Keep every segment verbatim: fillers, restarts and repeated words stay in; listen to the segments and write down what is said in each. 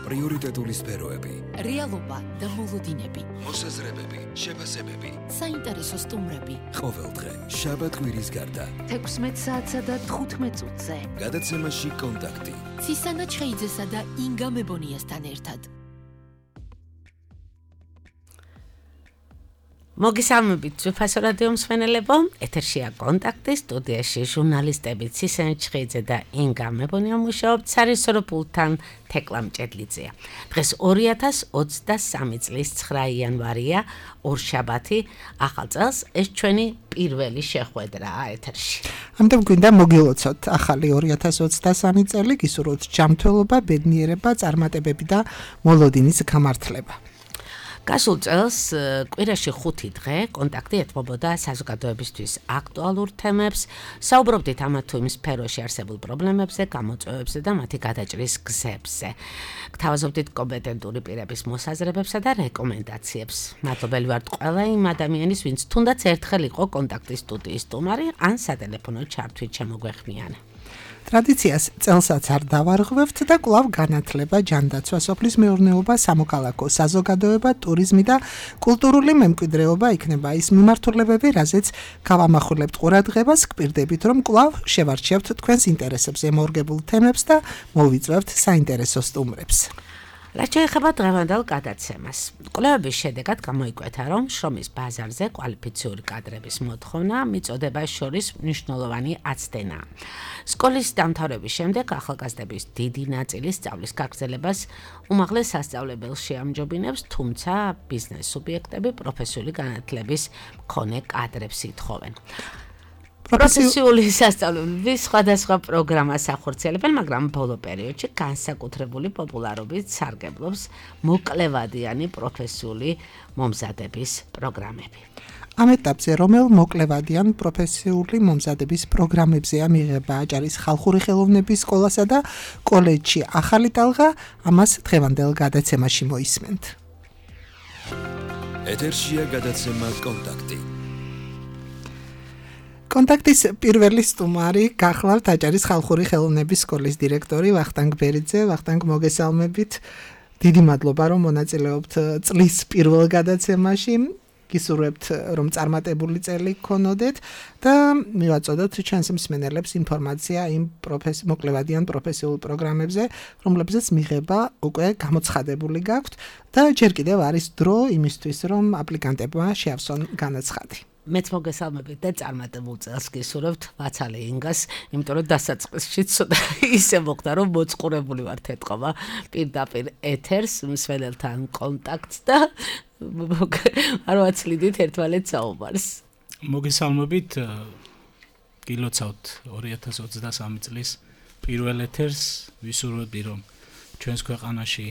პრიორიტეტული სფეროები, რეალობა და მოლოდინები, მოსაზრებები, შეფასებები, საინტერესო სტუმრები. ყოველდღე შაბათ-კვირის გარდა თექვსმეტ საათსა და თხუთმეტ წუთზე. გადაცემაში კონტაქტი. ცისანა ჩხეიძესა და ინგა მებონიასთან ერთად. მოგესალმებით ძვირფასო რადიო მსმენელებო, ეთერშია კონტაქტი, სტუდიაში ჟურნალისტები ცისანა ჩხეიძე და ინგა მებონია მუშაობთ, სარესორო პულტთან თეკლა მჭედლიძეა. დღეს ორი ათას ოცდასამი წლის ცხრა იანვარია, ორშაბათი, ახალ წელს ეს ჩვენი პირველი შეხვედრაა ეთერში. ამიტომ გვინდა მოგილოცოთ ახალი ორი ათას ოცდასამი წელი, გისურვოთ ჯანმრთელობა, ბედნიერება, წარმატებები და მოლოდინის გამართლება. გასულ წელს კვირაში ხუთი დღე კონტაქტი ეთმობოდა საზოგადოებისთვის აქტუალურ თემებს, საუბრობდით ამა თუ იმ სფეროში არსებულ პრობლემებზე, გამოწვევებზე და მათი გადაჭრის გზებზე. გთავაზობდით კომპეტენტური პირების მოსაზრებებსა და რეკომენდაციებს. მადლობელი ვართ ყველა იმ ადამიანის, ვინც თუნდაც ერთხელ იყო კონტაქტის სტუდიის სტუმარი, ან სატელეფონო ჩართვით შემოგვეხმიანა. ტრადიციას წელსაც არ დავარღვევთ და კვლავ განათლება, ჯანდაცვა, სოფლის მეურნეობა, სამოქალაქო საზოგადოება, ტურიზმი და კულტურული მემკვიდრეობა იქნება ის მიმართულებები, რაზეც გავამახვილებთ ყურადღებას, გპირდებით, რომ კვლავ შევარჩიებთ თქვენს ინტერესებზე მორგებულ თემებს და მოვიწვევთ საინტერესო სტუმრებს. რაც შეეხება დღევანდელ გადაცემას. კვლევების შედეგად გამოიკვეთა, რომ შრომის ბაზარზე კვალიფიციური კადრების მოთხოვნა მიწოდებას შორის მნიშვნელოვანი აცდენაა. სკოლის დამთავრების შემდეგ ახალგაზრდების დიდი ნაწილი სწავლის გაგრძელებას უმაღლეს სასწავლებელში ამჯობინებს, თუმცა ბიზნეს სუბიექტები პროფესიული განათლების მქონე კადრებს ითხოვენ. პროფესიული სასწავლებლები სხვადასხვა პროგრამას ახორციელებენ, მაგრამ ბოლო პერიოდში განსაკუთრებული პოპულარობით სარგებლობს მოკლევადიანი პროფესიული მომზადების პროგრამები. ამ ეტაპზე რომელ მოკლევადიან პროფესიული მომზადების პროგრამებზეა მიღება აჭარის ხალხური ხელოვნების სკოლასა და კოლეჯში ახალი ტალღა, ამას დღევანდელ გადაცემაში მოისმენთ. ეთერშია გადაცემა კონტაქტი. კონტაქტის პირველი სტუმარი გახლავთ აჭარის ხალხური ხელოვნების სკოლის დირექტორი ვახტანგ ბერიძე. ვახტანგ, მოგესალმებით. დიდი მადლობა, რომ მონაწილეობთ წლის პირველ გადაცემაში. გისურვებთ, რომ წარმატებული წელი გქონოდეთ და მივაწოდოთ ჩვენს მსმენელებს ინფორმაცია იმ მოკლევადიან პროფესიულ პროგრამებზე, რომლებზეც მიღება უკვე გამოცხადებული გაქვთ და ჯერ კიდევ არის დრო იმისთვის, რომ აპლიკანტებმა შეავსონ განაცხადი. მეც მოგესალმებით და წარმატებულ წელს გისურვებთ ვაცალე ინგას, იმიტომ რომ დასაწყისში ცოტა ისე მოხდა, რომ მოწყურებული ვართ ეთყობა პირდაპირ ეთერს, მსმენელთან კონტაქტს და არ ვაცლიდით ერთმანეთს საუბარს. მოგესალმებით, გილოცავთ ორი ათას ოცდასამი წლის პირველ ეთერს, ვისურვებდი, რომ ჩვენს ქვეყანაში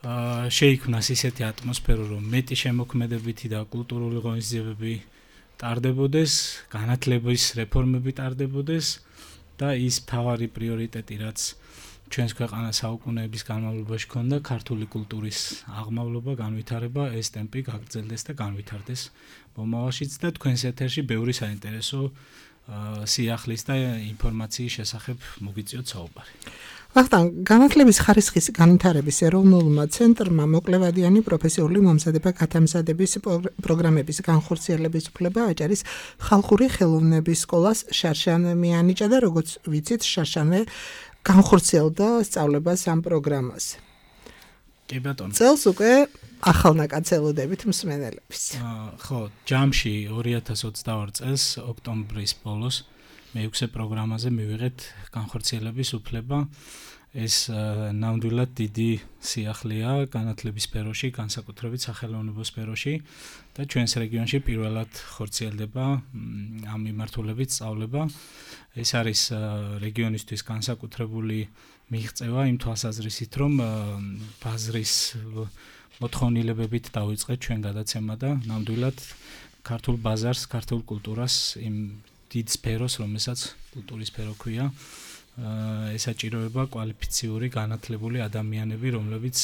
შეიქმნას ისეთი ატმოსფერო, რომ მეტი შემოქმედებითი და კულტურული ღონისძიებები ტარდებოდეს, განათლების რეფორმები ტარდებოდეს და ის მთავარი პრიორიტეტი, რაც ჩვენს ქვეყანას საუკუნეების განმავლობაში ჰქონდა, ქართული კულტურის აღმავლობა, განვითარება, ეს ტემპი გაგრძელდეს და განვითარდეს მომავალშიც და თქვენს ეთერში ბევრი საინტერესო სიახლის და ინფორმაციის შესახებ მოგიწიოთ საუბარი. ვახტანგ, განათლების ხარისხის განვითარების ეროვნულმა ცენტრმა მოკლევადიანი პროფესიული მომზადება გათამზადების პროგრამების განხორციელების უფლება აჭარის ხალხური ხელოვნების სკოლას შარშან მიანიჭა და როგორც ვიცით, შარშანვე განხორციელდა სწავლებას ამ პროგრამაზე. კი ბატონო. წელს უკვე ახალნაკაცელოდებით მსმენელების. ხო, ჯამში ორი ათას ოცდაორი წელს ოქტომბრის ბოლოს მეექვსე პროგრამაზე მივიღეთ განხორციელების უფლება. ეს ნამდვილად დიდი სიახლეა განათლების სფეროში, განსაკუთრებით სახელოვნებო სფეროში და ჩვენს რეგიონში პირველად ხორციელდება ამ მიმართულებით სწავლება. ეს არის რეგიონისთვის განსაკუთრებული მიღწევა იმ თვალსაზრისით, რომ ბაზრის მოთხოვნილებებით დავიწყეთ ჩვენ გადაცემა და ნამდვილად ქართულ ბაზარს, ქართულ კულტურას, იმ დიდ სფეროს, რომელსაც კულტურის სფერო ქვია, ესაჭიროება კვალიფიციური განათლებული ადამიანები, რომლებიც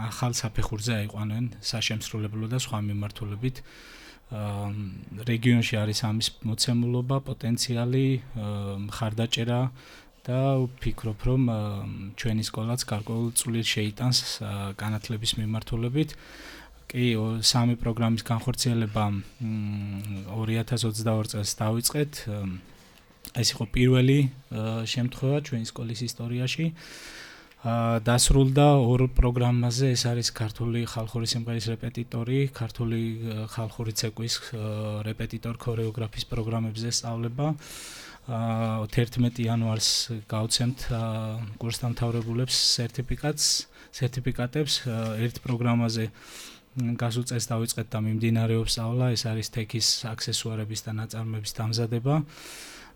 ახალ საფეხურზე აიყვანեն საშემსრულებლო და სხვა მიმართულებით. რეგიონში არის ამის მოცემულობა, პოტენციალი, მხარდაჭერა და ვფიქრობ, რომ ჩვენი სკოლაც გარკვეულ წვლილს შეიტანს განათლების მიმართულებით. კი, სამი პროგრამის განხორციელება ორი ათას ოცდაორი წელს დავიწყეთ. ეს იყო პირველი შემთხვევა ჩვენი სკოლის ისტორიაში. დასრულდა ორ პროგრამაზე, ეს არის ქართული ხალხური სიმღერის რეპეტიტორი, ქართული ხალხური ცეკვის რეპეტიტორ ქორეოგრაფის პროგრამებზე სწავლება. თერთმეტი იანვარს გავცემთ კურსდამთავრებულებს სერტიფიკატს, სერტიფიკატებს ერთ პროგრამაზე გასულ წელს დავიწყეთ და მიმდინარეობს სწავლა, ეს არის თექის აქსესუარების და ნაწარმოების დამზადება.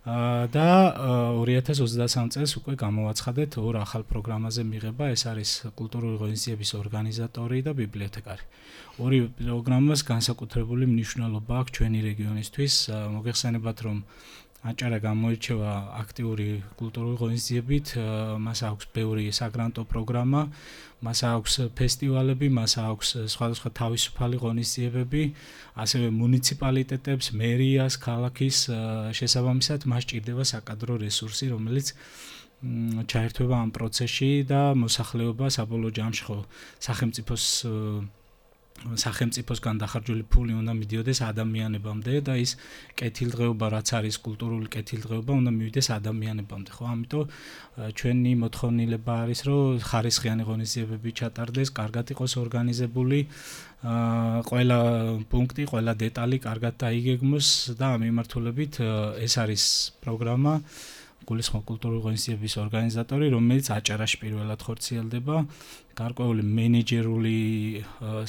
და ორი ათას ოცდასამ წელს უკვე გამოვაცხადეთ ორ ახალ პროგრამაზე მიღება, ეს არის კულტურული ღონისძიების ორგანიზატორი და ბიბლიოთეკარი. ორი პროგრამას განსაკუთრებული მნიშვნელობა აქვს ჩვენი რეგიონისთვის. მოგეხსენებათ, რომ აჭარა გამოირჩევა აქტიური კულტურული ღონისძიებით, მას აქვს ბევრი საგრანტო პროგრამა, მას აქვს ფესტივალები, მას აქვს სხვადასხვა თავისუფალი ღონისძიებები, ასევე მუნიციპალიტეტებს, მერიას, ქალაქის შესაბამისად მას ჭირდება საკადრო რესურსი, რომელიც ჩაერთვება ამ პროცესში და მოსახლეობა საბოლოო ჯამში ხო სახელმწიფოს სახელმწიფოსგან დახარჯული ფული უნდა მიდიოდეს ადამიანებამდე და ის კეთილდღეობა, რაც არის კულტურული კეთილდღეობა, უნდა მივიდეს ადამიანებამდე, ხო? ამიტომ ჩვენი მოთხოვნილება არის, რომ ხარისხიანი ღონისძიებები ჩატარდეს, კარგად იყოს ორგანიზებული, ყველა პუნქტი, ყველა დეტალი კარგად დაიგეგმოს და ამ მიმართულებით ეს არის პროგრამა გულისხმობ კულტურული ღონისძიების ორგანიზატორი, რომელიც აჭარაში პირველად ხორციელდება. გარკვეული მენეჯერული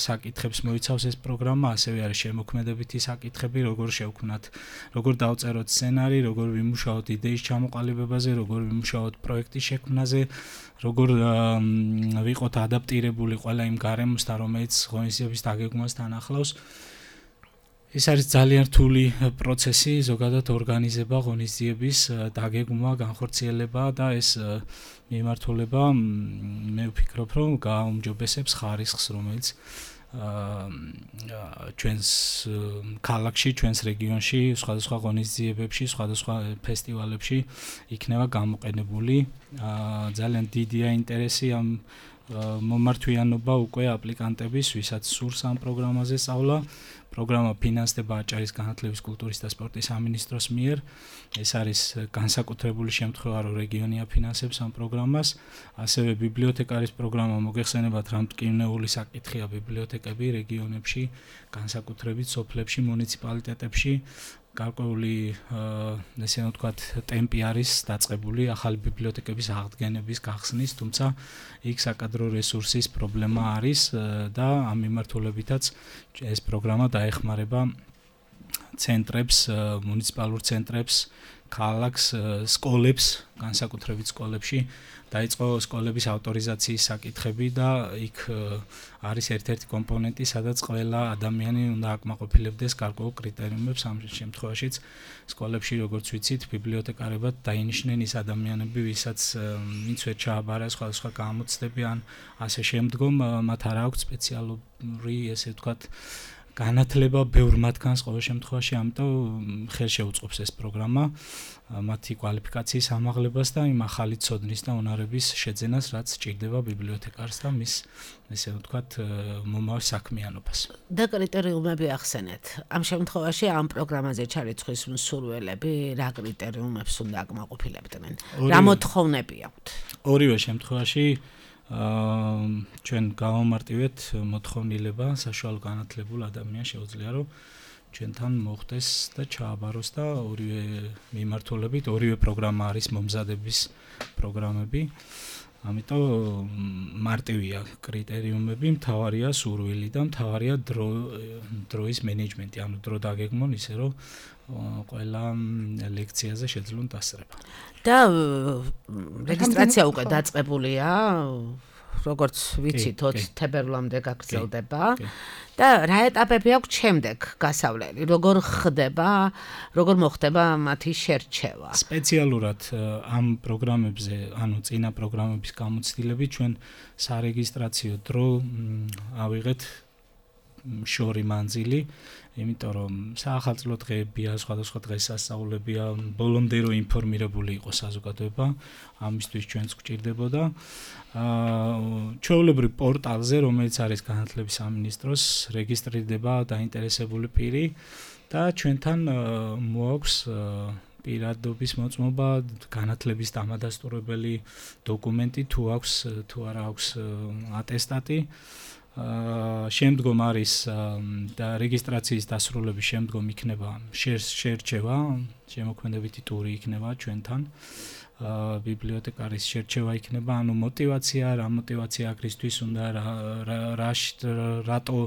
საკითხებს მოიცავს ეს პროგრამა, ასევე არის შემოქმედებითი საკითხები, როგორ შევქმნათ, როგორ დავწეროთ სცენარი, როგორ ვიმუშაოთ იდეის ჩამოყალიბებაზე, როგორ ვიმუშაოთ პროექტის შექმნაზე, როგორ ვიყოთ ადაპტირებული ყველა იმ გარემოსთან, რომელიც ღონისძიების დაგეგმვასთან ახლავს. ეს არის ძალიან რთული პროცესი, ზოგადად ორგანიზება ღონისძიების დაგეგმვა, განხორციელება და ეს მიმართულება მე ვფიქრობ, რომ გააუმჯობესებს ხარისხს, რომელიც ჩვენს ქალაქში, ჩვენს რეგიონში, სხვადასხვა ღონისძიებებში, სხვადასხვა ფესტივალებში იქნება გამოყენებული. ძალიან დიდია ინტერესი ამ მომართვიანობა უკვე აპლიკანტების, ვისაც სურს ამ პროგრამაზე სწავლა. პროგრამა ფინანსდება აჭარის განათლების, კულტურის და სპორტის სამინისტროს მიერ. ეს არის განსაკუთრებული შემთხვევა, რომ რეგიონი აფინანსებს ამ პროგრამას. ასევე ბიბლიოთეკარის პროგრამა, მოგეხსენებათ, რამტკივნეული საკითხია ბიბლიოთეკები რეგიონებში, განსაკუთრებით სოფლებში, მუნიციპალიტეტებში. გარკვეული ესე ვთქვათ, ტემპი არის დაწყებული ახალი ბიბლიოთეკების აღდგენების გახსნის, თუმცა იქ საკადრო რესურსის პრობლემა არის და ამ მიმართულებითაც ეს პროგრამა დაეხმარება ცენტრებს, მუნიციპალურ ცენტრებს, ქალაქს, სკოლებს, განსაკუთრებით სკოლებში დაიწყო სკოლების ავტორიზაციის საკითხები და იქ არის ერთ-ერთი კომპონენტი, სადაც ყველა ადამიანი უნდა აკმაყოფილებდეს გარკვეულ კრიტერიუმებს. ამ შემთხვევაშიც სკოლებში, როგორც ვიცით, ბიბლიოთეკარებად დაინიშნენ ის ადამიანები, ვისაც ვინც ვერ ჩააბარა სხვადასხვა გამოცდები ან ასე შემდგომ, მათ არ აქვს სპეციალური, ესე ვთქვათ, განათლება ბევრ მათგანს ყოველ შემთხვევაში, ამიტომ ხელშეუწყობს ეს პროგრამა მათი კვალიფიკაციის ამაღლებას და იმ ახალი ცოდნის და უნარების შეძენას, რაც ჭირდება ბიბლიოთეკარს და მის, ესე ვთქვათ, მომავალ საქმიანობას. და კრიტერიუმები ახსენეთ. ამ შემთხვევაში ამ პროგრამაზე ჩარიცხვის მსურველები რა კრიტერიუმებს უნდა აკმაყოფილებდნენ? რა მოთხოვნები აქვთ? ორივე შემთხვევაში ჩვენ გავამარტივეთ მოთხოვნილება, საშუალო განათლებულ ადამიანს შეუძლია, რომ ჩვენთან მოხდეს და ჩააბაროს და ორივე მიმართულებით, ორივე პროგრამა არის მომზადების პროგრამები. ამიტომ მარტივია კრიტერიუმები, მთავარია სურვილი და მთავარია დრო დროის მენეჯმენტი, ანუ დრო დაგეგმონ ისე, რომ ყველა ლექციაზე შეძლონ დასწრება. და რეგისტრაცია უკვე დაწყებულია, როგორც ვიცით, ოცი თებერვლამდე გაგრძელდება და რა ეტაპები აქვს შემდეგ გასავლელი? როგორ ხდება, როგორ მოხდება მათი შერჩევა? სპეციალურად ამ პროგრამებზე, ანუ წინა პროგრამების გამოცდილებით ჩვენ სარეგისტრაციო დრო ავიღეთ შორი მანძილი, იმიტომ რომ საახალწლო დღეებია, სხვადასხვა დღესასწაულებია, ბოლომდე რომ ინფორმირებული იყოს საზოგადოება, ამისთვის ჩვენც გვჭირდებოდა. ჩვეულებრივ პორტალზე, რომელიც არის განათლების სამინისტროს, რეგისტრირდება დაინტერესებული პირი და ჩვენთან მოაქვს პირადობის მოწმობა, განათლების დამადასტურებელი დოკუმენტი, თუ აქვს თუ არა აქვს ატესტატი. შემდგომ არის და რეგისტრაციის დასრულების შემდგომ იქნება შერჩევა, შემოქმედებითი ტური იქნება ჩვენთან. ბიბლიოთეკარის შერჩევა იქნება, ანუ мотиваცია, რა мотиваცია აქრისთვის უნდა რა რატო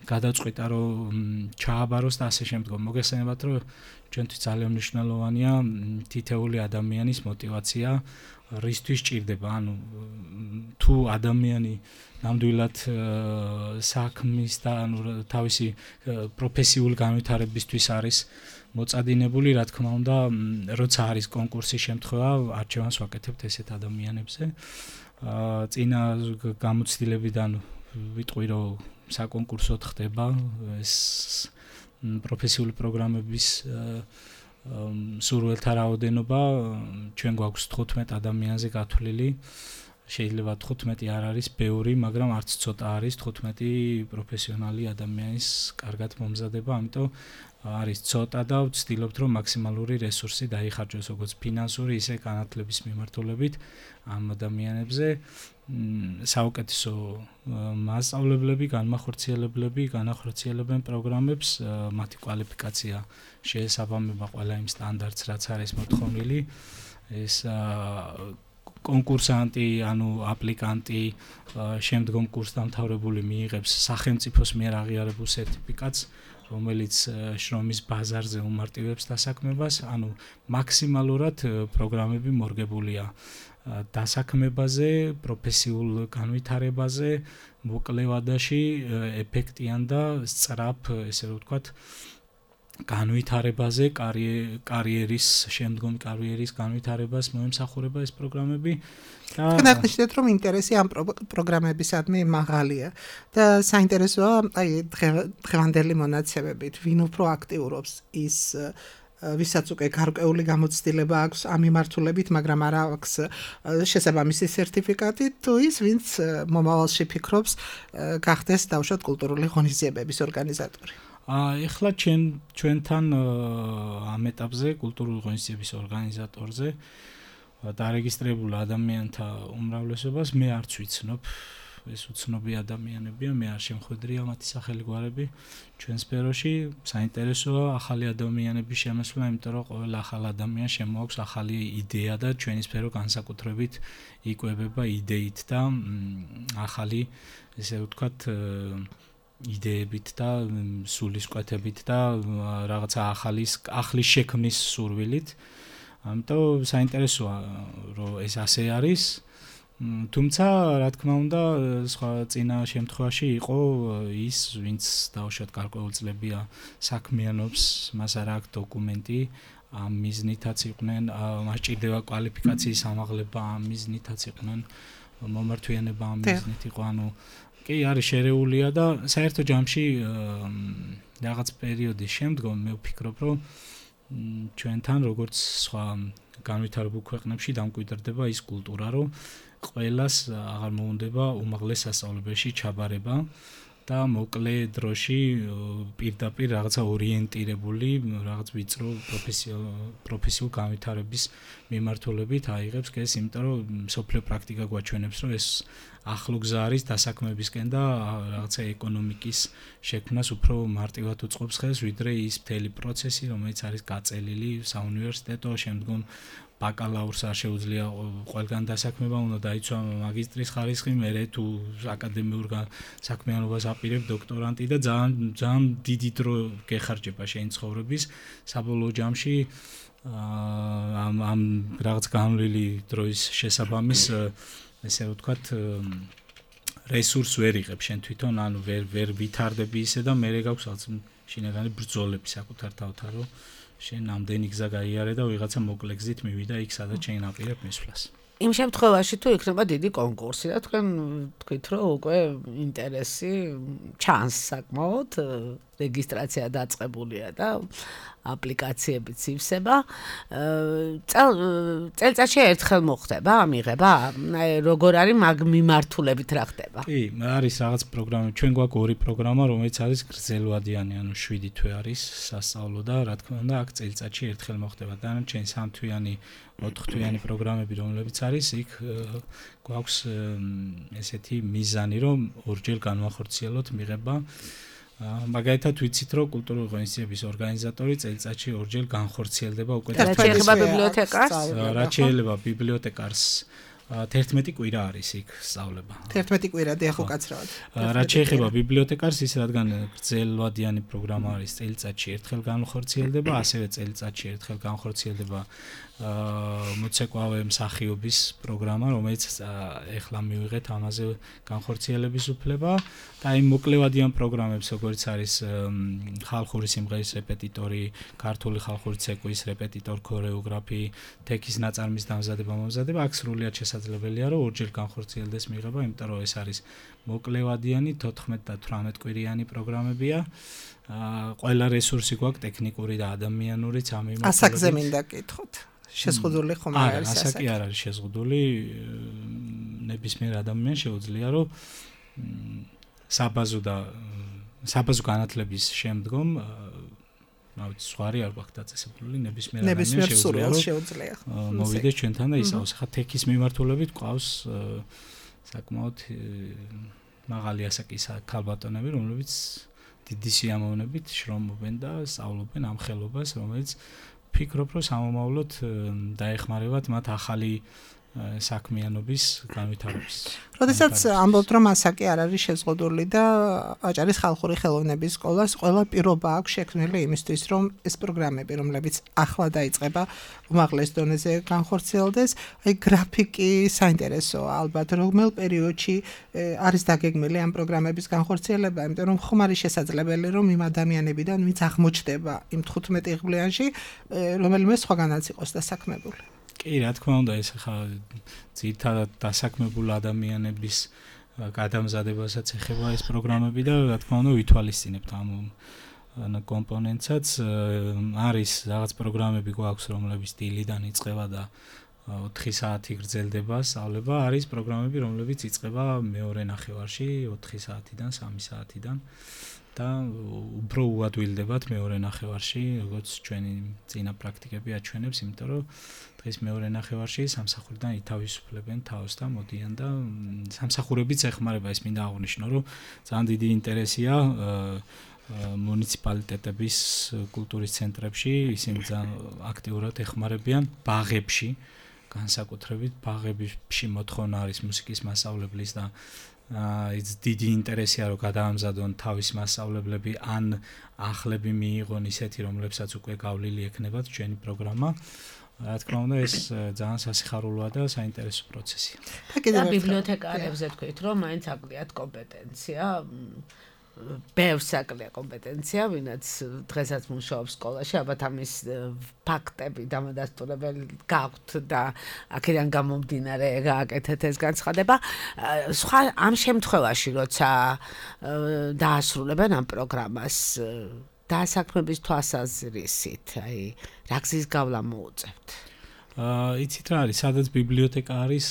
გადაწყვიტა რომ ჩააბაროს და ასე შემდგომ. მოგესალმებათ რომ ჩვენთვის ძალიან მნიშვნელოვანია თითეული ადამიანის мотиваცია, რისთვის ჭირდება, ანუ თუ ადამიანი ნამდვილად საქმის და ანუ თავისი პროფესიული განვითარებისთვის არის მოწადინებული, რა თქმა უნდა, როცა არის კონკურსის შემთხვევა, არჩევანს ვაკეთებთ ესეთ ადამიანებზე. წინა გამოცდილებიდან ვიტყვი, რომ საკონკურსოდ ხდება ეს პროფესიული პროგრამების სურვილთა რაოდენობა, ჩვენ გვაქვს თხუთმეტ ადამიანზე გათვლილი. შეიძლება თხუთმეტი არ არის ბევრი, მაგრამ არც ცოტა არის თხუთმეტი პროფესიონალი ადამიანის კარგად მომზადება, ამიტომ არის ცოტა და ვცდილობთ რომ მაქსიმალური რესურსი დაიხარჯოს როგორც ფინანსური, ისე განათლების მიმართულებით ამ ადამიანებზე. საუკეთესო მასწავლებლები, განმახორციელებლები განახორციელებენ პროგრამებს, მათი კვალიფიკაცია შეესაბამება ყველა იმ სტანდარტს, რაც არის მოთხოვნილი. ეს კონკურსანტი, ანუ აპლიკანტი, შემდგომ კურსდამთავრებული მიიღებს სახელმწიფოს მიერ აღიარებულ სერტიფიკატს, რომელიც შრომის ბაზარზე უმარტივებს დასაქმებას, ანუ მაქსიმალურად პროგრამები მორგებულია დასაქმებაზე, პროფესიულ განვითარებაზე, მოკლე ვადაში, ეფექტიან და სწრაფ, ესე რომ ვთქვათ, განვითარებაზე, კარიერის, შემდგომ კარიერის განვითარებას მოემსახურება ეს პროგრამები. თქვენ აღნიშნეთ, რომ ინტერესი ამ პროგრამებისადმი მაღალია და საინტერესოა, აი დღევანდელი მონაცემებით, ვინ უფრო აქტიურობს ის ვისაც უკვე გარკვეული გამოცდილება აქვს ამ მიმართულებით, მაგრამ არ აქვს შესაბამისი სერტიფიკატი, თუ ის, ვინც მომავალში ფიქრობს გახდეს დავუშვათ კულტურული ღონისძიებების ორგანიზატორი. ეხლა ჩვენ ჩვენთან ამ ეტაპზე კულტურული ღონისძიების ორგანიზატორზე დარეგისტრირებულ ადამიანთა უმრავლესობას მე არც ვიცნობ, ეს უცნობი ადამიანებია, მე არ შემხვედრია მათი სახელგვარები ჩვენ სფეროში. საინტერესოა ახალი ადამიანების შემოსვლა, იმიტომ რომ ყველა ახალ ადამიანს შემოაქვს ახალი იდეა და ჩვენი სფერო განსაკუთრებით იკვებება იდეით და ახალი, ესე ვთქვათ, იდეებით და სულისკვეთებით და რაღაცა ახალის ახლის შექმნის სურვილით. ამიტომ საინტერესოა რომ ეს ასე არის. თუმცა რა თქმა უნდა სხვა წინა შემთხვევაში იყო ის ვინც დავუშვათ გარკვეულწლებია საქმიანობს, მას არ აქვს დოკუმენტი, ამ მიზნითაც იყვნენ, მას ჭირდება კვალიფიკაციის ამაღლება, ამ მიზნითაც იყვნენ, მომართვიანება ამ მიზნით იყო, ანუ კი არის შერეულია და საერთო ჯამში რაღაც პერიოდის შემდგომ მე ვფიქრობ, რომ ჩვენთან როგორც სხვა განვითარებულ ქვეყნებში დამკვიდრდება ის კულტურა, რომ ყველას აღარ მოუნდება უმაღლეს სასწავლებელში ჩაბარება და მოკლე დროში პირდაპირ რაღაცა ორიენტირებული, რაღაც ვიწრო პროფესიულ განვითარების მიმართულებით აიღებს ეს, იმიტომ რომ სოფლიო პრაქტიკა გვაჩვენებს, რომ ეს ახლო გზა არის დასაქმებისკენ და რაღაცა ეკონომიკის შექმნას უფრო მარტივად უწყობს ხელს, ვიდრე ის მთელი პროცესი, რომელიც არის გაწელილი საუნივერსიტეტო, შემდგომ ბაკალავრს არ შეუძლია ყველგან დასაქმება, უნდა დაიცვა მაგისტრის ხარისხი, მერე თუ აკადემიურ საქმიანობას აპირებ დოქტორანტი და ძალიან ძალიან დიდი დრო გეხარჯება შენი ცხოვრების საბოლოო ჯამში ამ ამ რაღაც განვლილი დროის შესაბამის ესე ვთქვათ რესურს ვერ იღებ შენ თვითონ, ანუ ვერ ვერ ვითარდები ისე და მერე გაქვს რაღაც შინაგანი ბრძოლები საკუთარ თავთან, რომ შენ ამდენი გზა გაიარე და ვიღაცა მოკლე გზით მივიდა იქ, სადაც შენ აპირებ მისვლას. იმ შემთხვევაში თუ იქნება დიდი კონკურსი და თქვენ თქვით რომ უკვე ინტერესი ჩანს საკმაოდ რეგისტრაცია დაწყებულია და აპლიკაციებიც ივსება წელწადში ერთხელ მოხდება ამიღება როგორ არის მაგ მიმართულებით რა ხდება კი არის რაღაც პროგრამა ჩვენ გვაქვს ორი პროგრამა რომელიც არის გრძელვადიანი ანუ შვიდი თვე არის სასწავლო და რა თქმა უნდა აქ წელწადში ერთხელ მოხდება დანარჩენი სამთვიანი ოთხთვიანი პროგრამები რომლებიც არის იქ გვაქვს ესეთი მიზანი რომ ორჯერ განვახორციელოთ მიღება მაგალითად ვიცით რომ კულტურული ღონისძიების ორგანიზატორი წელიწადში ორჯერ განხორციელდება უკვე რაც შეეხება ბიბლიოთეკარს რაც შეეხება ბიბლიოთეკარს თერთმეტი კვირა არის იქ სწავლება. თერთმეტი კვირა დიახ უკაცრავად. რაც შეეხება ბიბლიოთეკარს ის რადგან გრძელვადიანი პროგრამა არის წელიწადში ერთხელ განხორციელდება, ასევე წელიწადში ერთხელ განხორციელდება მოცეკვავე მსახიობის პროგრამა, რომელიც ეხლა მივიღეთ ამაზე განხორციელების უფლება და იმ მოკლევადიან პროგრამებს, როგორც არის ხალხური სიმღერის რეპეტიტორი, ქართული ხალხური ცეკვის რეპეტიტორ, ქორეოგრაფი, თექის ნაწარმის დამზადება, მომზადება, აქ სრულიად შესაძლებელია, რომ ორჯერ განხორციელდეს მიღება, იმიტომ რომ ეს არის მოკლევადიანი თოთხმეტ და თვრამეტ კვირიანი პროგრამებია. ყველა რესურსი გვაქვს ტექნიკური და ადამიანურიც ამ მიმართულებით. ასაკზე მინდა კითხოთ. შეზღუდული ხომ არ არის ასაკი? ასაკი არ არის შეზღუდული. ნებისმიერ ადამიანს შეუძლია რომ საბაზო და საბაზო განათლების შემდგომ რავი სხვარი არ გვაქვს დაწესებული ნებისმიერ ადამიანს შეუძლია მოვიდეს ჩვენთან და ისაოს. ხა თექის მიმართულებით ყავს საკმაოდ მაღალი ასაკის ქალბატონები, რომლებიც დიდი სიამოვნებით შრომობენ და სწავლობენ ამ ხელობას, რომელიც ფიქრობ, რომ სამომავლოდ დაეხმარებათ მათ ახალი საქმიანობის განვითარებას. როდესაც ამბობთ, რომ ასაკი არ არის შეზღუდული და აჭარის ხალხური ხელოვნების სკოლას ყველა პირობა აქვს შექმნილი იმისთვის, რომ ეს პროგრამები, რომლებიც ახლა დაიწყება, უმაღლეს დონეზე განხორციელდეს, აი გრაფიკი საინტერესოა ალბათ, რომელ პერიოდში არის დაგეგმილი ამ პროგრამების განხორციელება, იმიტომ რომ ხომ არის შესაძლებელი, რომ იმ ადამიანებიდან, ვინც აღმოჩნდება იმ თხუთმეტ იღბლიანში, რომელიმე სხვაგანაც იყოს დასაქმებული. კი, რა თქმა უნდა, ეს ხა ძირითადად დასაქმებულ ადამიანების გადამზადებასაც ეხება ეს პროგრამები და რა თქმა უნდა ვითვალისწინებთ ამ კომპონენტსაც. არის რაღაც პროგრამები გვაქვს, რომლებიც დილიდან იწყება და ოთხი საათი გრძელდება სწავლება, არის პროგრამები, რომლებიც იწყება მეორე ნახევარში ოთხი საათიდან სამი საათიდან და უფრო უადვილდებათ მეორე ნახევარში, როგორც ჩვენი წინა პრაქტიკები აჩვენებს, იმიტომ რომ დღეს მეორე ნახევარში სამსახურიდან ითავისუფლებენ თავს და მოდიან და სამსახურებიც ეხმარება, ეს მინდა აღვნიშნო, რომ ძალიან დიდი ინტერესია მუნიციპალიტეტების კულტურის ცენტრებში, ისინი ძალიან აქტიურად ეხმარებიან ბაღებში, განსაკუთრებით ბაღებში მოთხოვნა არის მუსიკის მასწავლებლის და ის დიდი ინტერესია რომ გადაამზადონ თავის მასწავლებლები ან ახლები მიიღონ ისეთი რომლებსაც უკვე გავლილი ექნებათ ჩვენი პროგრამა. რა თქმა უნდა ეს ძალიან სასიხარულოა და საინტერესო პროცესია. და ბიბლიოთეკარებზე თქვით რომ მაინც აკლიათ კომპეტენცია ბევრს აკლია კომპეტენცია, ვინაც დღესაც მუშაობს სკოლაში, ალბათ ამის ფაქტები დამადასტურებელი გაქვთ და აქედან გამომდინარე გააკეთეთ ეს განცხადება. სხვა ამ შემთხვევაში, როცა დაასრულებენ ამ პროგრამას, დასაქმების თვალსაზრისით, აი, რა გზის გავლა მოუწევთ? აა იცით რა არის, სადაც ბიბლიოთეკა არის,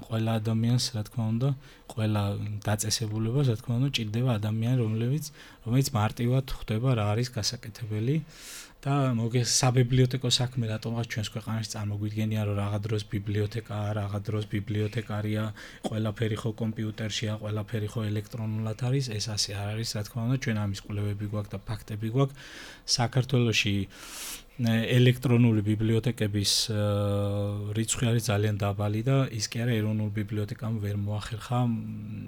ყველა ადამიანს, რა თქმა უნდა, ყველა დაწესებულებას, რა თქმა უნდა, ჭირდება ადამიანი, რომლებიც რომელიც მარტივად ხვდება რა არის გასაკეთებელი და მოგეს საბიბლიოთეკო საქმე რატომღაც ჩვენს ქვეყანაში წარმოგვიდგენია, რომ რაღაც დროს ბიბლიოთეკაა, რაღაც დროს ბიბლიოთეკარია, ყველაფერი ხო კომპიუტერშია, ყველაფერი ხო ელექტრონულად არის, ეს ასე არ არის, რა თქმა უნდა, ჩვენ ამის კვლევები გვაქვს და ფაქტები გვაქვს. საქართველოში ელექტრონული ბიბლიოთეკების რიცხვი არის ძალიან დაბალი და ის კი არა ეროვნულ ბიბლიოთეკამ ვერ მოახერხა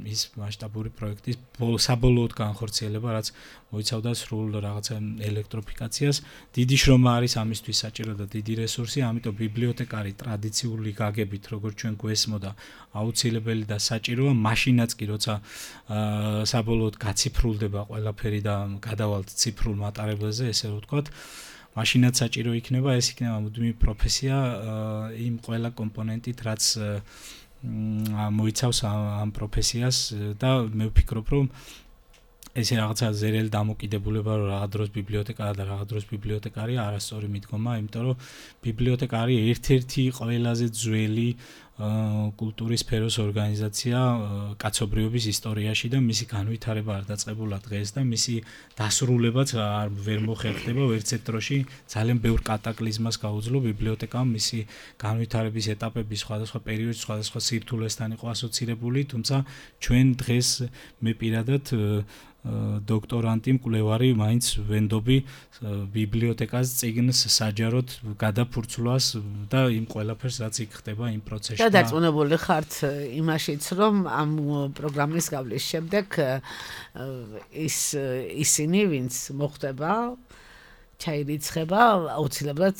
ის მასშტაბური პროექტის საბოლოოდ განხორციელება, რაც მოიცავდა სრულ რაღაცა ელექტროფიკაციას. დიდი შრომა არის ამისთვის საჭირო და დიდი რესურსი, ამიტომ ბიბლიოთეკარი ტრადიციული გაგებით, როგორც ჩვენ გვესმოდა, აუცილებელი და საჭიროა, მაშინაც კი როცა საბოლოოდ გაციფრულდება ყველაფერი და გადავალთ ციფრულ მატარებელზე, ესე რომ ვთქვათ, მაშინაც საჭირო იქნება ეს იქნება მუდმივი პროფესია იმ ყველა კომპონენტით, რაც მოიცავს ამ პროფესიას და მე ვფიქრობ, რომ ესე რაღაცა ზერელი დამოკიდებულება რომ რაღაც დროს ბიბლიოთეკაა და რაღაც დროს ბიბლიოთეკარია არასწორი მიდგომა, იმიტომ რომ ბიბლიოთეკარი ერთ-ერთი ყველაზე ძველი კულტურის სფეროს ორგანიზაცია კაცობრიობის ისტორიაში და მისი განვითარება არ დაწყებულა დღეს და მისი დასრულებაც არ ვერ მოხერხდება ვერცერთ დროში ძალიან ბევრ კატაკლიზმას გაუძლო ბიბლიოთეკამ მისი განვითარების ეტაპები სხვადასხვა პერიოდში სხვადასხვა სირთულესთან იყო ასოცირებული, თუმცა ჩვენ დღეს მე პირადად დოქტორანტი მკვლევარი მაინც ვენდობი ბიბლიოთეკას წიგნს საჯაროდ გადაფურცვლას და იმ ყველაფერს რაც იქ ხდება იმ პროცესში. და დარწმუნებული ხართ იმაშიც, რომ ამ პროგრამის გავლის შემდეგ ის ისინი, ვინც მოხდება ჩაირიცხება, აუცილებლად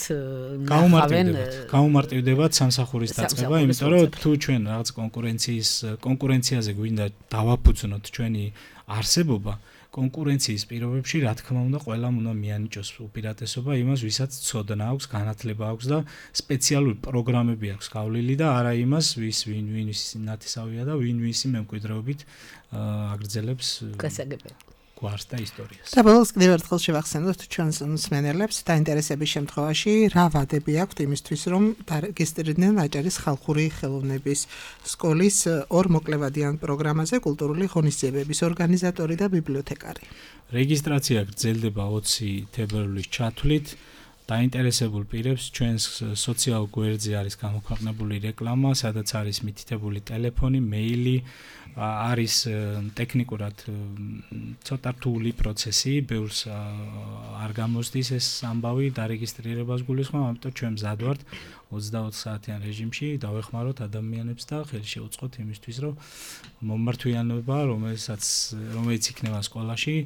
ნახავენ გაუმარტივდებათ სამსახურის დაწყება, იმიტომ რომ თუ ჩვენ რაღაც კონკურენციის კონკურენციაზე გვინდა დავაფუძნოთ ჩვენი არსებობა, კონკურენციის პირობებში, რა თქმა უნდა, ყველამ უნდა მიანიჭოს უპირატესობა იმას, ვისაც ცოდნა აქვს, განათლება აქვს და სპეციალური პროგრამები აქვს გავლილი და არა იმას, ვის ვინ ვინის ნათესავია და ვინ ვისი მემკვიდრეობით აგრძელებს გასაგებია გვარს და ისტორიას. და ბოლოს კიდევ ერთხელ შევახსენოთ ჩვენს მსმენელებს დაინტერესების შემთხვევაში რა ვადები აქვთ იმისთვის, რომ დარეგისტრირდნენ აჭარის ხალხური ხელოვნების სკოლის ორ მოკლევადიან პროგრამაზე კულტურული ღონისძიებების ორგანიზატორი და ბიბლიოთეკარი. რეგისტრაცია გრძელდება ოცი თებერვლის ჩათვლით. დაინტერესებულ პირებს ჩვენს სოციალურ გვერდზე არის გამოქვეყნებული რეკლამა, სადაც არის მითითებული ტელეფონი, მეილი, არის ტექნიკურად ცოტა რთული პროცესი, ბევრს არ გამოსდის ეს ამბავი დარეგისტრირებას გულისხმობ, ამიტომ ჩვენ მზად ვართ ოცდაოთხ საათიან რეჟიმში დავეხმაროთ ადამიანებს და ხელი შევუწყოთ იმისთვის, რომ მომმართვიანობა, რომელსაც რომელიც იქნება სკოლაში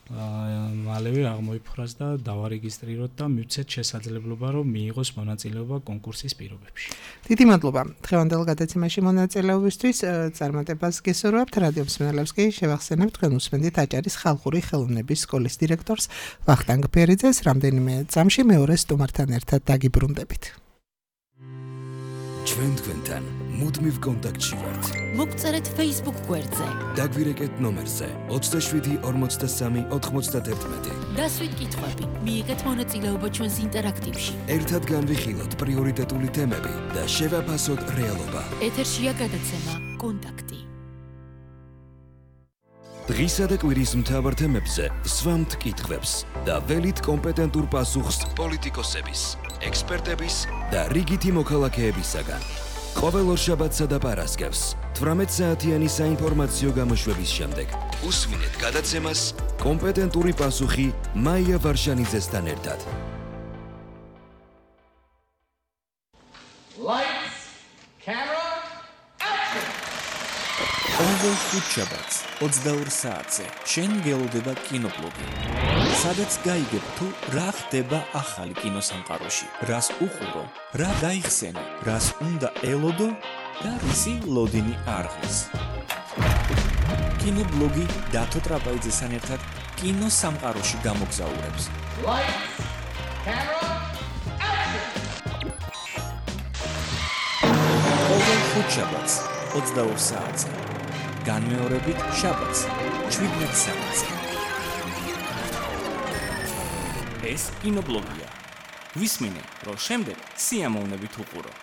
მალევე აღმოიფხვრას და დავარეგისტრიროთ და მივცეთ შესაძლებლობა, რომ მიიღოს მონაწილეობა კონკურსის პირობებში. დიდი მადლობა დღევანდელ გადაცემაში მონაწილეობისთვის. წარმატებას გესურვებთ. რადიო მსმენელებს კი შევახსენებთ, თქვენ უსმენთ აჭარის ხალხური ხელოვნების სკოლის დირექტორს ვახტანგ ბერიძეს. რამდენიმე წამში მეორე სტუმართან ერთად დაგიბრუნდებით. ჩვენ თქვენთან მუდმივ კონტაქტში ვართ. მოგწერეთ Facebook გვერდზე. დაგვირეკეთ ნომერზე ოცდაშვიდი ორმოცდასამი ოთხმოცდაერთმეტი. დასვით კითხვები, მიიღეთ მონაწილეობა ჩვენს ინტერაქტივში. ერთად განვიხილოთ პრიორიტეტული თემები და შევაფასოთ რეალობა. ეთერშია გადაცემა კონტაქტი. დღისა და კვირის მთავარ თემებზე სვამთ კითხვებს და ველით კომპეტენტურ პასუხს პოლიტიკოსების, ექსპერტების და რიგითი მოქალაქეებისაგან. ყოველ ორშაბათსა და პარასკევს თვრამეტ საათიანი საინფორმაციო გამოშვების შემდეგ უსმინეთ გადაცემას კომპეტენტური პასუხი მაია ვარშანიძესთან ერთად. Lights, camera, action! ყოველ ხუთშაბათს ოცდაორ საათზე შენ გელოდება კინობლოგი. სადაც გაიგებ თუ რა ხდება ახალი კინოსამყაროში, რას უყურო, რა გაიხსენე, რას უნდა ელოდო და რისი ლოდინი არღის. კინობლოგი დათო ტრაპაიძესთან ერთად კინოსამყაროში გამოგზაურებს. Lights, camera, action! ყოველ ხუთშაბათს ოცდაორ საათზე. განმეორებით შაბათს შვიდმეტ საათზე. ეს კინობლოგია. ვისმინე, რომ შემდეგ სიამოვნებით უყურო.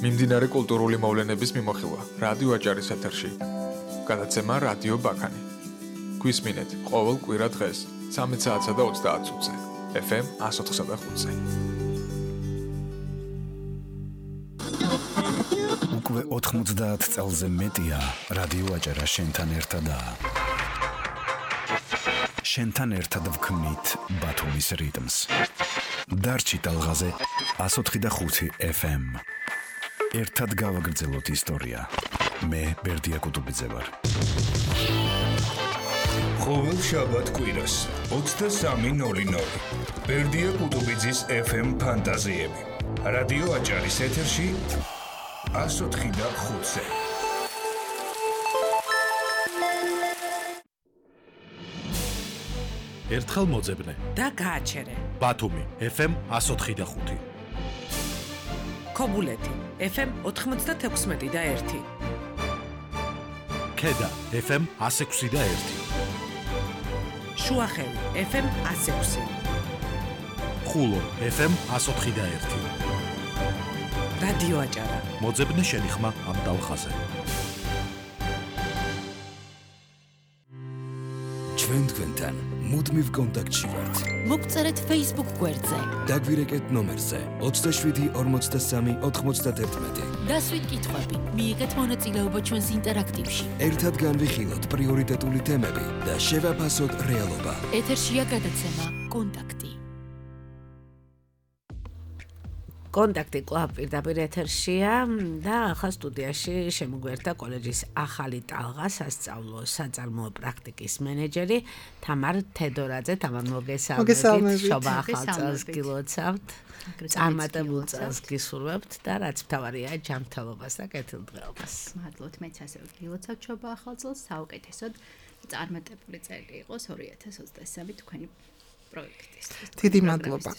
მიმდინარე კულტურული მოვლენების მიმოხილვა რადიო აჭარის ეთერში. გადაცემა რადიო ბაქანი. გვისმინეთ ყოველ კვირა დღეს ცამეტ საათსა და ოცდაათ წუთზე. ეფ ემ εκατს ოთხსა და ხუთზე. უკვე ოთხმოცდაათ წელზე მეტია რადიო აჭარა შენთან ერთადაა. შენთან ერთად ვქმნით ბათუმის რიტმს. დარჩი ტალღაზე εκατს ოთხი და ხუთი ეფ ემ. ერთად გავაგრძელოთ ისტორია. მე ბერდია კუტუბიძე ვარ. ყოველ შაბათ კვირას ოცდასამი ნული ნული. ბერდია კუტუბიძის ეფ ემ ფანტაზიები. რადიო აჭარის ეთერში εκατს ოთხი და ხუთზე. ერთხელ მოძებნე და გააჩერე. ბათუმი ეფ ემ εκατს ოთხი და ხუთი. ქობულეთი ეფ ემ ოთხმოცდათექვსმეტი და ერთი. ქედა ეფ ემ εκას ექვსი და ერთი. შუახევი ეფ ემ εκას ექვსი. ხულო ეფ ემ εκას ოთხი და ერთი. რადიო აჭარა. მოძებნე შენი ხმა ამ დალხაზე. ჩვენ თქვენთან მუდმივ კონტაქტში ვართ. მოგწერეთ Facebook გვერდზე. დაგვირეკეთ ნომერზე ოცდაშვიდი ორმოცდასამი ოთხმოცდაათერთმეტი. დასვით კითხვები, მიიღეთ მონაწილეობა ჩვენს ინტერაქტივში. ერთად განვიხილოთ პრიორიტეტული თემები და შევაფასოთ რეალობა. ეთერშია გადაცემა კონტაქტი. კონტაქტი კლუბ პირდაპირ ეთერშია და ახლა სტუდიაში შემოგვერთა კოლეჯის ახალი ტალღა სასწავლო საწარმოო პრაქტიკის მენეჯერი თამარ თედორაძე. თამარ მოგესალმებით. შობა ახალ წელს გილოცავთ. წარმატებულ წელს გისურვებთ და რაც მთავარია ჯანმრთელობას და კეთილდღეობას. მადლობთ, მეც ასევე გილოცავთ შობა ახალ წელს. საუკეთესოდ წარმატებული წელი იყოს ორი ათას ოცდასამი თქვენი პროექტის. დიდი მადლობა.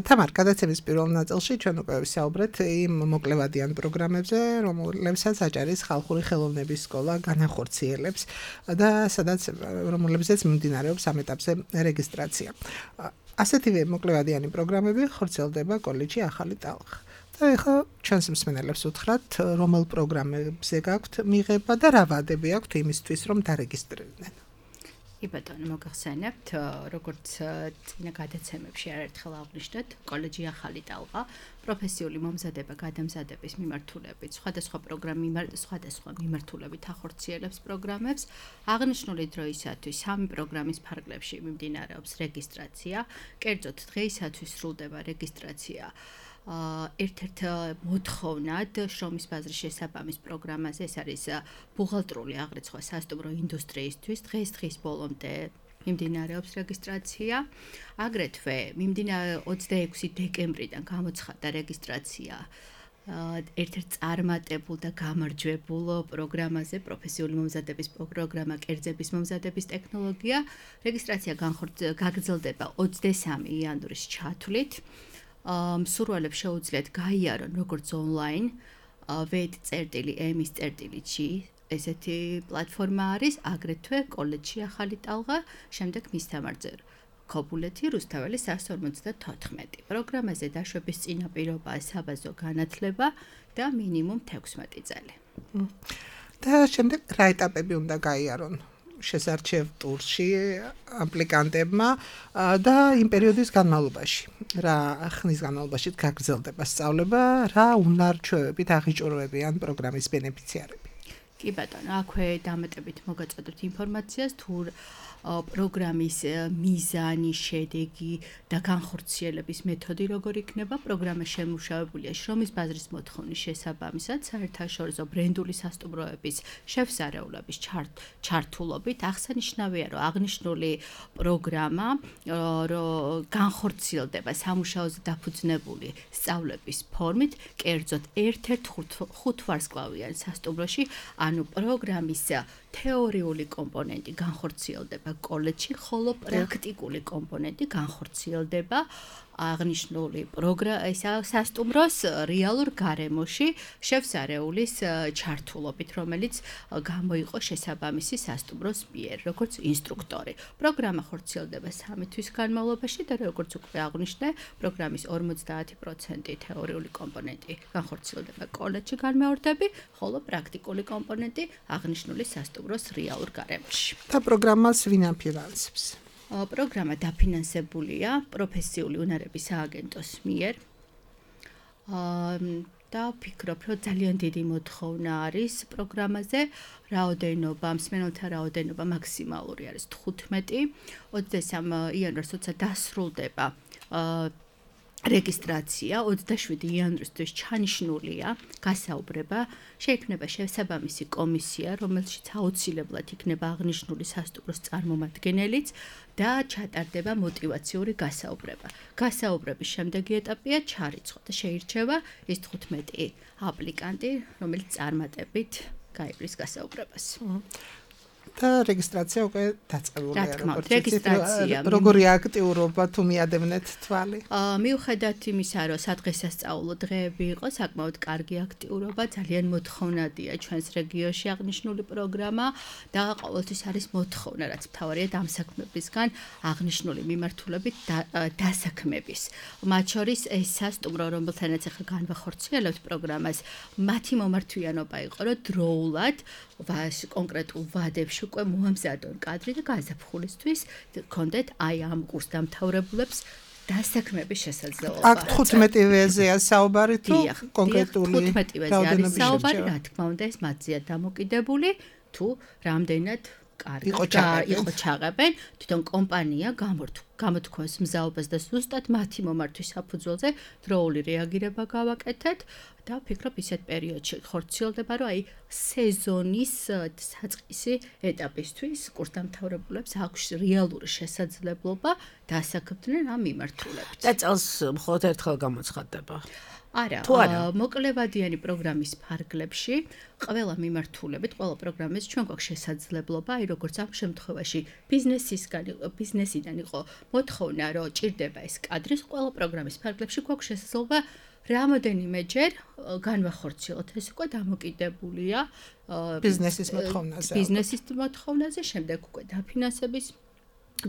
თამარ, გადაცემის პირველ ნაწილში ჩვენ უკვე ვისაუბრეთ იმ მოკლევადიან პროგრამებზე, რომლებსაც აჭარის ხალხური ხელოვნების სკოლა განახორციელებს და სადაც რომლებზეც მიმდინარეობს ამ ეტაპზე რეგისტრაცია. ასეთივე მოკლევადიანი პროგრამები ხორციელდება კოლეჯში ახალი ტალღა. და ეხლა ჩვენს მსმენელებს უთხრათ, რომელ პროგრამებზე გაქვთ მიღება და რა ვადები აქვთ იმისთვის, რომ დარეგისტრირდნენ. კი ბატონო, მოგახსენებთ, როგორც წინა გადაცემებში არაერთხელ აღვნიშნეთ, კოლეჯი ახალი ტალღა პროფესიული მომზადება გადამზადების მიმართულებით სხვადასხვა პროგრამი სხვადასხვა მიმართულებით ახორციელებს პროგრამებს. აღნიშნული დროისათვის სამი პროგრამის ფარგლებში მიმდინარეობს რეგისტრაცია. კერძოდ დღეისათვის სრულდება რეგისტრაცია ერთ-ერთ მოთხოვნად შრომის ბაზრის შესაბამის პროგრამაზე, ეს არის ბუღალტრული აღრიცხვა სასტუმრო ინდუსტრიისთვის. დღეს დღის ბოლომდე მიმდინარეობს რეგისტრაცია. აგრეთვე მიმდინარე ოცდაექვსი დეკემბრიდან გამოცხადდა რეგისტრაცია ერთ-ერთ წარმატებულ და გამარჯვებულ პროგრამაზე, პროფესიული მომზადების პროგრამა კერძების მომზადების ტექნოლოგია. რეგისტრაცია გაგრძელდება ოცდასამი იანვრის ჩათვლით. მსურველებს შეუძლიათ გაიარონ როგორც ონლაინ ვედ წერტილი ემის წერტილი ჯი ესეთი პლატფორმა არის, აგრეთვე კოლეჯში ახალი ტალღა, შემდეგ მისამართზე ქობულეთი რუსთაველი სამს ორმოცდათოთხმეტი. პროგრამაზე დაშვების წინაპირობაა საბაზო განათლება და მინიმუმ თექვსმეტი წელი. და შემდეგ რა ეტაპები უნდა გაიარონ შესარჩევ ტურში აპლიკანტებმა და იმ პერიოდის განმავლობაში, რა ხნის განმავლობაში გაგრძელდება სწავლება, რა უნარჩვევებით აღიჭურვებიან პროგრამის ბენეფიციარები. კი ბატონო, აქვე დამატებით მოგაწოდოთ ინფორმაციას თუ პროგრამის მიზანი, შედეგი და განხორციელების მეთოდი როგორ იქნება. პროგრამა შემუშავებულია შრომის ბაზრის მოთხოვნის შესაბამისად, საერთაშორისო ბრენდული სასტუმროების შეფსარეულების ჩართულობით. აღსანიშნავია, რომ აღნიშნული პროგრამა განხორციელდება სამუშაოზე დაფუძნებული სწავლების ფორმით, კერძოდ ერთ-ერთ ხუთვარსკვლავიან სასტუმროში, ანუ პროგრამის თეორიული კომპონენტი განხორციელდება კოლეჯში, ხოლო პრაქტიკული კომპონენტი განხორციელდება აღნიშნული პროგრამა სასტუმროს რეალურ გარემოში შეფსარეულის ჩართულობით, რომელიც გამოიყო შესაბამისი სასტუმროს მიერ, როგორც ინსტრუქტორი. პროგრამა ხორციელდება სამი თვის განმავლობაში და როგორც უკვე აღვნიშნე, პროგრამის ორმოცდაათი პროცენტი თეორიული კომპონენტი განხორციელდება კოლეჯში განმეორდები, ხოლო პრაქტიკული კომპონენტი აღნიშნული სასტუმროს რეალურ გარემოში. და პროგრამას ვინ აფინანსებს? პროგრამა დაფინანსებულია პროფესიული უნარების სააგენტოს მიერ. და ვფიქრობ, რომ ძალიან დიდი მოთხოვნა არის პროგრამაზე. რაოდენობა, მსმენელთა რაოდენობა მაქსიმალური არის თხუთმეტი. ოცდასამი იანვარს როცა დასრულდება რეგისტრაცია, ოცდაშვიდი იანვრისთვის ჩანიშნულია გასაუბრება, შეიქმნება შესაბამისი კომისია, რომელშიც აუცილებლად იქნება აღნიშნული სასტუმროს წარმომადგენელიც და ჩატარდება მოტივაციური გასაუბრება. გასაუბრების შემდეგი ეტაპია ჩარიცხვა და შეირჩევა ის თხუთმეტი აპლიკანტი, რომელიც წარმატებით გაივლის გასაუბრებას. და რეგისტრაცია უკვე დაწყებულია. რა თქმა უნდა, რეგისტრაცია. როგორი აქტიურობა თუ მიადევნეთ თვალი? აა მიუხედავად იმისა, რომ სადღესასწაულო დღეები იყო, საკმაოდ კარგი აქტიურობა, ძალიან მოთხოვნადია ჩვენს რეგიონში აღნიშნული პროგრამა და ყოველთვის არის მოთხოვნა, რაც მთავარია დამსაქმებისგან აღნიშნული მიმართულებით დასაქმების. მათ შორის ესა სტუმრო, რომელთანაც ახლა განვახორციელებთ პროგრამას, მათი მომართვიანობა იყო, რომ დროულად ვაში კონკრეტულ ვადებში უკვე მოამზადონ კადრი და გაზაფხულისთვის გქონდეთ აი ამ კურსდამთავრებულებს დასაქმების შესაძლებლობა. აქ თხუთმეტივეზეა საუბარი თუ კონკრეტული თხუთმეტივეზე არის საუბარი, რა თქმა უნდა, ეს მათზეა დამოკიდებული თუ რამდენად კარგი იყო ჩაღებენ, თვითონ კომპანია გამოთქვას მზაობას და ზუსტად მათი მომართვის საფუძველზე დროული რეაგირება გავაკეთეთ და ვფიქრობ ისეთ პერიოდში ხორციელდება, რომ აი სეზონის საწყისი ეტაპისთვის კურსდამთავრებულებს აქვს რეალური შესაძლებლობა დასაქმდნენ ამ მიმართულებით. და წელს მხოლოდ ერთხელ გამოცხადდება. არა, მოკლევადიანი პროგრამის ფარგლებში ყველა მიმართულებით, ყველა პროგრამის ჩვენ გვაქვს შესაძლებლობა, აი როგორც ამ შემთხვევაში ბიზნესისგან, ბიზნესიდან იყო მოთხოვნა, რომ ჭირდება ეს კადრი, ყველა პროგრამის ფარგლებში გვაქვს შესაძლებლობა რამოდენიმეჯერ განვახორციელოთ. ეს უკვე დამოკიდებულია ბიზნესის მოთხოვნაზე. ბიზნესის მოთხოვნაზე, შემდეგ უკვე დაფინანსების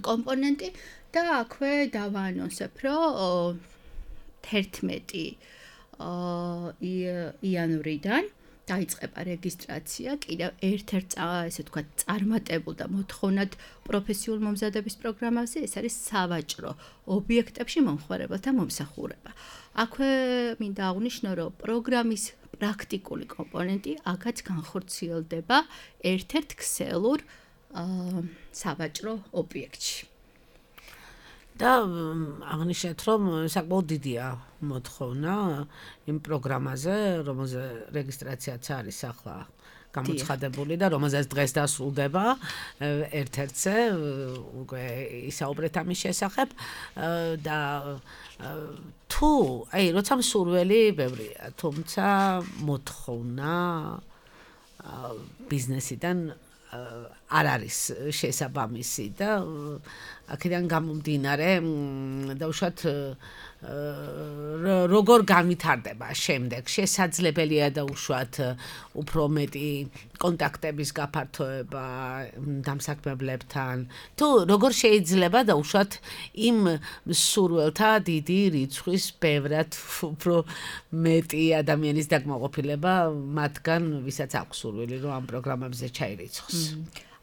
კომპონენტი და აქვე დავაანონსებ, რომ თერთმეტი იანვრიდან დაიწყება რეგისტრაცია კიდევ ერთ-ერთ ესე ვთქვათ წარმატებულ და მოთხოვნად პროფესიულ მომზადების პროგრამაზე, ეს არის სავაჭრო ობიექტებში მომხმარებელთა მომსახურება. აქვე მინდა აღნიშნო, რომ პროგრამის პრაქტიკული კომპონენტი აქაც განხორციელდება ერთ-ერთ ქსელურ სავაჭრო ობიექტში. და აღნიშნეთ, რომ საკმაოდ დიდია მოთხოვნა იმ პროგრამაზე, რომელზე რეგისტრაციაც არის ახლა გამოცხადებული და რომელზეც დღეს დასრულდება ერთ-ერთზე, უკვე ისაუბრეთ ამის შესახებ და თუ, აი, როცა მსურველი ბევრია, თუმცა მოთხოვნა ბიზნესიდან არ არის შესაბამისი და აქედან გამომდინარე დაუშვათ როგორ განვითარდება შემდეგ შესაძლებელია დაუშვათ უფრო მეტი კონტაქტების გაფართოება დამსაქმებლებთან თუ როგორ შეიძლება დაუშვათ იმ მსურველთა დიდი რიცხვის ბევრად უფრო მეტი ადამიანის დაკმაყოფილება მათგან ვისაც აქვს სურვილი რომ ამ პროგრამებზე ჩაირიცხოს.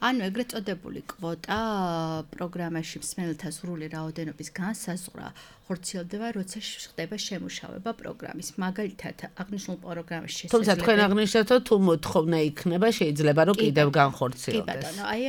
ანუ ეგრეთ წოდებული კვოტა პროგრამაში მსმენელთა სრული რაოდენობის განსაზღვრა ხორციელდება, როცა ხდება შემუშავება პროგრამის. მაგალითად, აღნიშნულ პროგრამაში შესაძლებელი. თუმცა თქვენ აღნიშნეთ, რომ თუ მოთხოვნა იქნება, შეიძლება რომ კიდევ განხორციელდეს. კი ბატონო, აი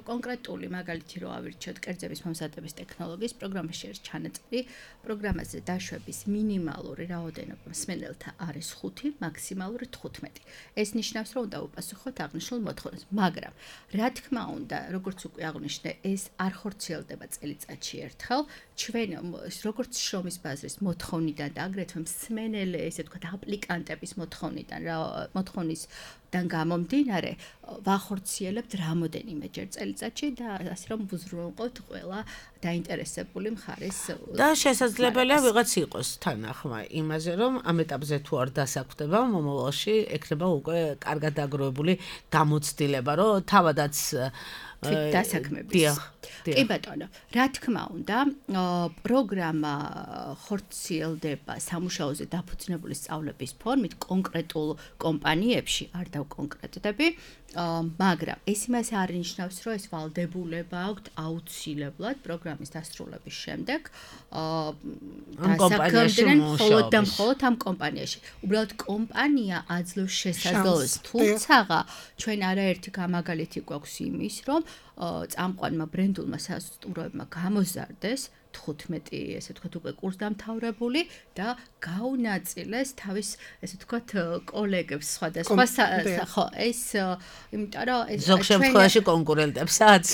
კონკრეტული მაგალითი რო ავირჩიოთ კერძების მომზადების ტექნოლოგიის პროგრამაში არის ჩანაწერი, პროგრამაზე დაშვების მინიმალური რაოდენობა მსმენელთა არის ხუთი, მაქსიმალური თხუთმეტი. ეს ნიშნავს, რომ უნდა უპასუხოთ აღნიშნულ მოთხოვნას, მაგრამ რა თქმა უნდა, როგორც უკვე აღნიშნე, ეს არ ხორციელდება წელიწადში ერთხელ. ჩვენ როგორც შრომის ბაზრის მოთხოვნიდან და აგრეთვე მსმენელი, ესე ვთქვათ, აპლიკანტების მოთხოვნიდან, მოთხოვნისგან გამომდინარე, ვახორციელებთ რამოდენიმეჯერ წელიწადში და ასე რომ ვუზრუნველყოთ ყველა დაინტერესებული მხარის და შესაძლებელია ვიღაც იყოს თანახმა იმაზე, რომ ამ ეტაპზე თუ არ დასაქმდება, მომავალში ექნება უკვე კარგად დაგროვებული გამოცდილება, რომ თავადაც თვით დასაქმების. კი ბატონო, რა თქმა უნდა, პროგრამა ხორციელდება სამუშაოზე დაფუძნებული სწავლების ფორმით კონკრეტულ კომპანიებში, არ დავკონკრეტდები, მაგრამ ეს იმას არ ნიშნავს, რომ ეს ვალდებულება აქვთ აუცილებლად პროგრამის დასრულების შემდეგ დასაქმდნენ მხოლოდ და მხოლოდ ამ კომპანიაში. უბრალოდ კომპანია აძლევს შესაძლებლობას, თუმცა ჩვენ არაერთი გამაგალითი გვაქვს იმის, რომ წამყვანმა ბრენდულმა სასტუმროებმა გამოზარდეს თხუთმეტი, ესე ვთქვათ, უკვე კურსდამთავრებული და გაუნაწილეს თავის, ესე ვთქვათ, კოლეგებს სხვადასხვა ხო, ეს იმიტომ რომ ეს ზოგ შემთხვევაში კონკურენტებსაც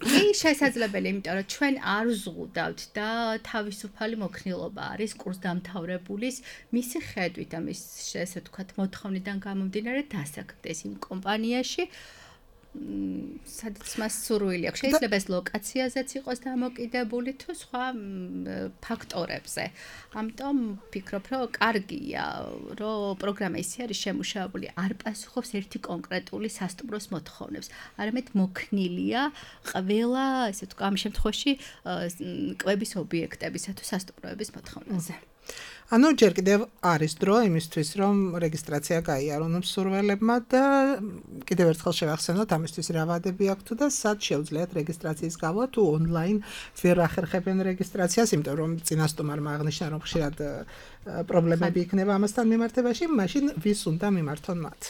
კი შესაძლებელი, იმიტომ რომ ჩვენ არ ვზღუდავთ და თავისუფალი მოქნილობა არის კურსდამთავრებულის მისი ხედვით და მის, ესე ვთქვათ, მოთხოვნიდან გამომდინარე დასაქმდეს იმ კომპანიაში. სადაც მას სურვილი აქვს. შეიძლება ეს ლოკაციაზეც იყოს დამოკიდებული თუ სხვა ფაქტორებზე. ამიტომ ვფიქრობ, რომ კარგია, რომ პროგრამა ისე არის შემუშავებული, არ პასუხობს ერთი კონკრეტული სასტუმროს მოთხოვნებს. არამედ მოქნილია ყველა, ესე ვთქვა, ამ შემთხვევაში კვების ობიექტებისა თუ სასტუმროების მოთხოვნაზე. ანუ ჯერ კიდევ არის დრო იმისთვის, რომ რეგისტრაცია გაიარონ მსურველებმა და კიდევ ერთხელ შევახსენოთ ამისთვის რა ვადები აქვს თუ და სად შეუძლიათ რეგისტრაციის გავლა თუ ონლაინ ვერ ახერხებენ რეგისტრაციას, იმიტომ რომ წინასტომარმა აღნიშნა რომ ხშირად პრობლემები იქნება ამასთან მიმართებაში, მაშინ ვის უნდა მიმართონ მათ?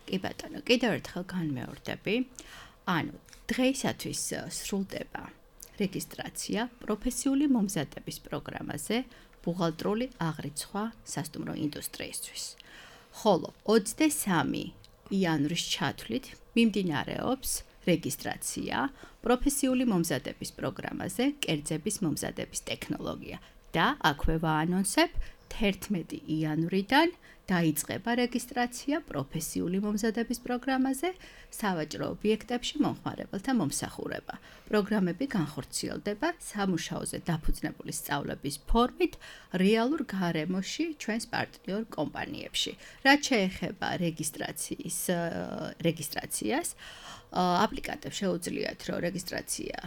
კი ბატონო, კიდევ ერთხელ განმეორდები. ანუ დღეისათვის სრულდება რეგისტრაცია პროფესიული მომზადების პროგრამაზე ბუღალტრული აღრიცხვა სასტუმრო ინდუსტრიისთვის. ხოლო ოცდამესამე იანვრის ჩათვლით მიმდინარეობს რეგისტრაცია პროფესიული მომზადების პროგრამაზე კერძების მომზადების ტექნოლოგია და აქვე ვაანონსებ თერთმეტი იანვრიდან დაიწყება რეგისტრაცია პროფესიული მომზადების პროგრამაზე სავაჭრო ობიექტებში მომხმარებელთა მომსახურება. პროგრამები განხორციელდება სამუშაოზე დაფუძნებული სწავლების ფორმით რეალურ გარემოში ჩვენს პარტნიორ კომპანიებში. რაც შეეხება რეგისტრაციის რეგისტრაციას, აპლიკანტებს შეუძლიათ, რომ რეგისტრაცია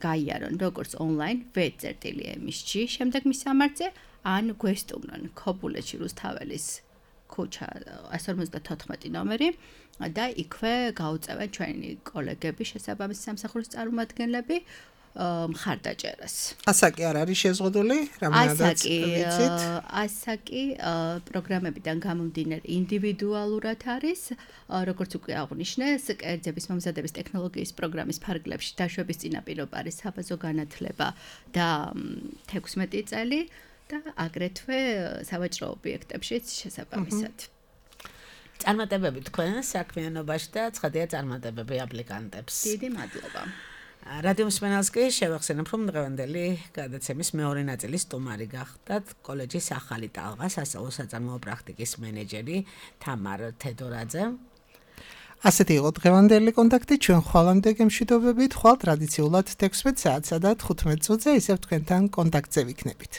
გაიარონ როგორც ონლაინ ვე.ემ.ჯი შემდეგ მისამართზე ან გვესტუმრონ ქობულეთში რუსთაველის ქუჩა εκατს ორმოცდათოთხმეტი ნომერი და იქვე გაუწევენ ჩვენი კოლეგები შესაბამისი სამსახურის წარმომადგენლები მხარდაჭერას. ასაკი არ არის შეზღუდული, რამდენადაც ვიცით? ასაკი პროგრამებიდან გამომდინარე ინდივიდუალურად არის, როგორც უკვე აღნიშნეს, კერძების მომზადების ტექნოლოგიის პროგრამის ფარგლებში დაშვების წინაპირობა არის საბაზო განათლება და თექვსმეტი წელი. და აგრეთვე სავაჭრო ობიექტებშიც შესაბამისად. წარმატებები თქვენ საქმიანობაში და ცხადია წარმატებები აპლიკანტებს. დიდი მადლობა. რადიო მსმენელს კი შევახსენებ, რომ დღევანდელი გადაცემის მეორე ნაწილის სტუმარი გახდათ კოლეჯის ახალი ტალღა სასწავლო საწარმოო პრაქტიკის მენეჯერი თამარ თედორაძე. ასეთი იყო დღევანდელი კონტაქტი, ჩვენ ხვალამდე გემშვიდობებით, ხვალ ტრადიციულად თექვსმეტ საათსა და თხუთმეტ წუთზე ისევ თქვენთან კონტაქტზე ვიქნებით.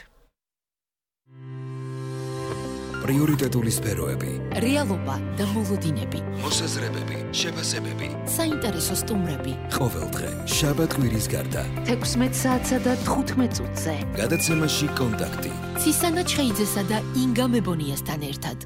პრიორიტეტული სფეროები, რეალობა და მოლოდინები, მოსაზრებები, შეფასებები, საინტერესო სტუმრები. ყოველდღე შაბათ-კვირის გარდა თექვსმეტ საათსა და თხუთმეტ წუთზე. გადაცემაში კონტაქტი. ცისანა ჩხეიძესა და ინგა მებონიასთან ერთად.